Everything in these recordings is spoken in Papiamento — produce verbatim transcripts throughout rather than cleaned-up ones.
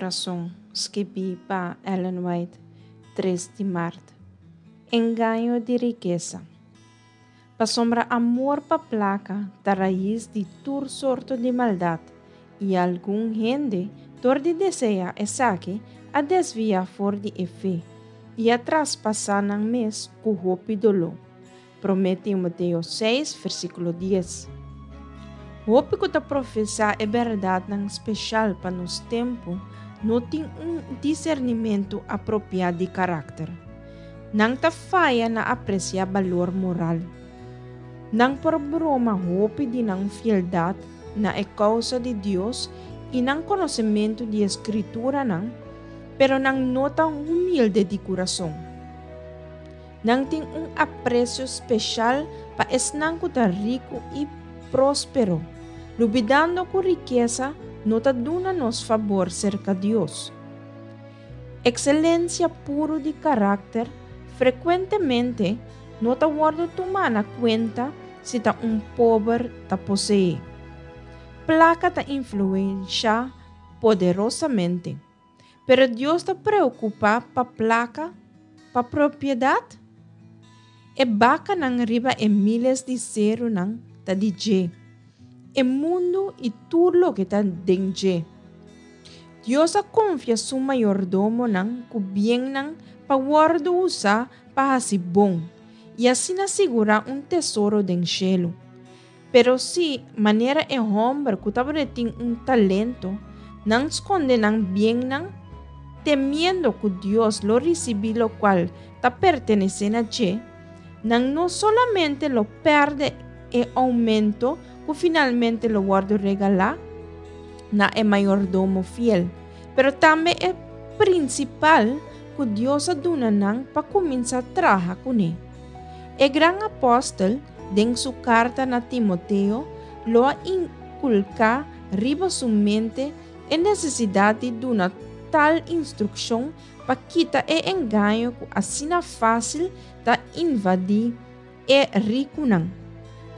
Kurason, skibí pa Ellen White, tres di mart. Engaño di rikesa. Pasobra amor pa plaka ta rais di tur sorto di maldat, i algun hende, dor di deseá esaki, a desviá for di e fe, i a traspasá nan mes ku hopi doló. Promé Timoteo seis, versíkulo dies. Hopi ku ta profesá e bèrdatnan spesial pa nos tempu no tin un disernimentu apropiá di karakter. Nan ta faya na apresiá balor moral. Nan por broma hopi di nan fieldat na e kousa di Dios i nan konosementu di e Skrituranan, pero nan no ta humilde di kurason. Nan tin un apresio spesial pa esnan ku ta riku i próspero, lubidando ku rikesa no ta duna nos fabor serka Dios. Ekselensia puru di karakter frekuentemente no ta wòrdu tumá na kuenta si ta un pober ta poseé. Plaka ta influenshá poderosamente, pero Dios ta preokupá pa plaka, pa propiedat? E bakanan riba e miles di serunan ta di dje, e mundu i tur loke ta den dje. Dios a konfia su mayordomonan ku biennan pa wòrdu usá pa hasi bon i asina sigurá un tesoro den shelu. Pero si, manera e hòmber ku tabatin un talento, nan skonde nan biennan, temiendo ku Dios lo risibí lokual ta pertenesé na dje, nan no solamente lo pèrdè e oumento ku finalmente lo wòrdu regalá na e mayordomo fiel, pero tambe e prinsipal ku Dios a duna nan pa kuminsá traha kuné. E gran apòstel, den su karta na Timoteo, lo a inkulká riba su mente e nesesidat di duna tal instrukshon pa kita e engaño ku asina fásil ta invadí e rikunan,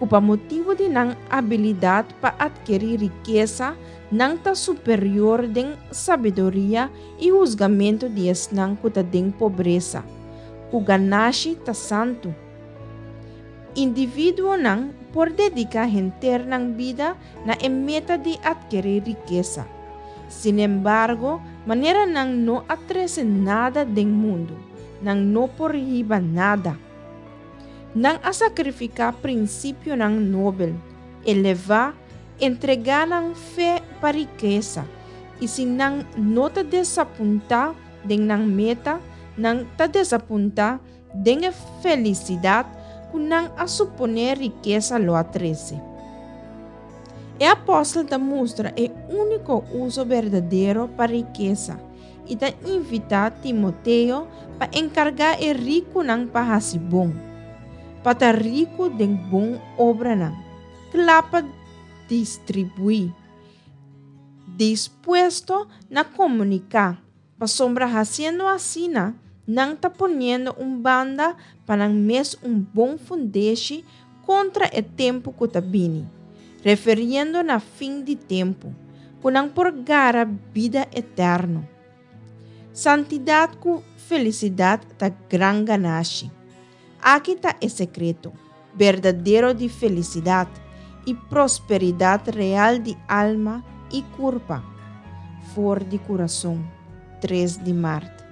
ku pa motibu di nan abilidat pa atkerí rikesa, nan ta superior den sabiduria i husgamentu di esnan ku ta den pobresa, ku ganashi ta santu. Individuonan por dediká henter nan bida na e meta di atkerí rikesa. Sinembargo, manera nan no a trese nada den mundu, nan no por hiba nada. Nan a sakrifiká prinsipionan nobel, elevá, entregá nan fe pa rikesa, i si nan no ta desapuntá den nan meta, nan ta desapuntá den e felisidat ku nan a suponé rikesa lo a trese. E apòstel ta mustra e úniko uso berdadero pa rikesa i ta invitá Timoteo pa enkargá e rikunan pa hasi bon, pa ta riku den bon obranan, kla pa distribuí, dispuesto na komuniká, pasobra hasiendo asina nan ta poniendo un banda pa nan mes un bon fundeshi kontra e tempu ku ta bini, referiendo na fin di tempu, ku nan por gara bida eterno. Santidat ku felisidat ta gran ganashi. Aki ta e sekreto berdadero di felisidat i prosperidat real di alma i kurpa. For di Kurason, tres di mart.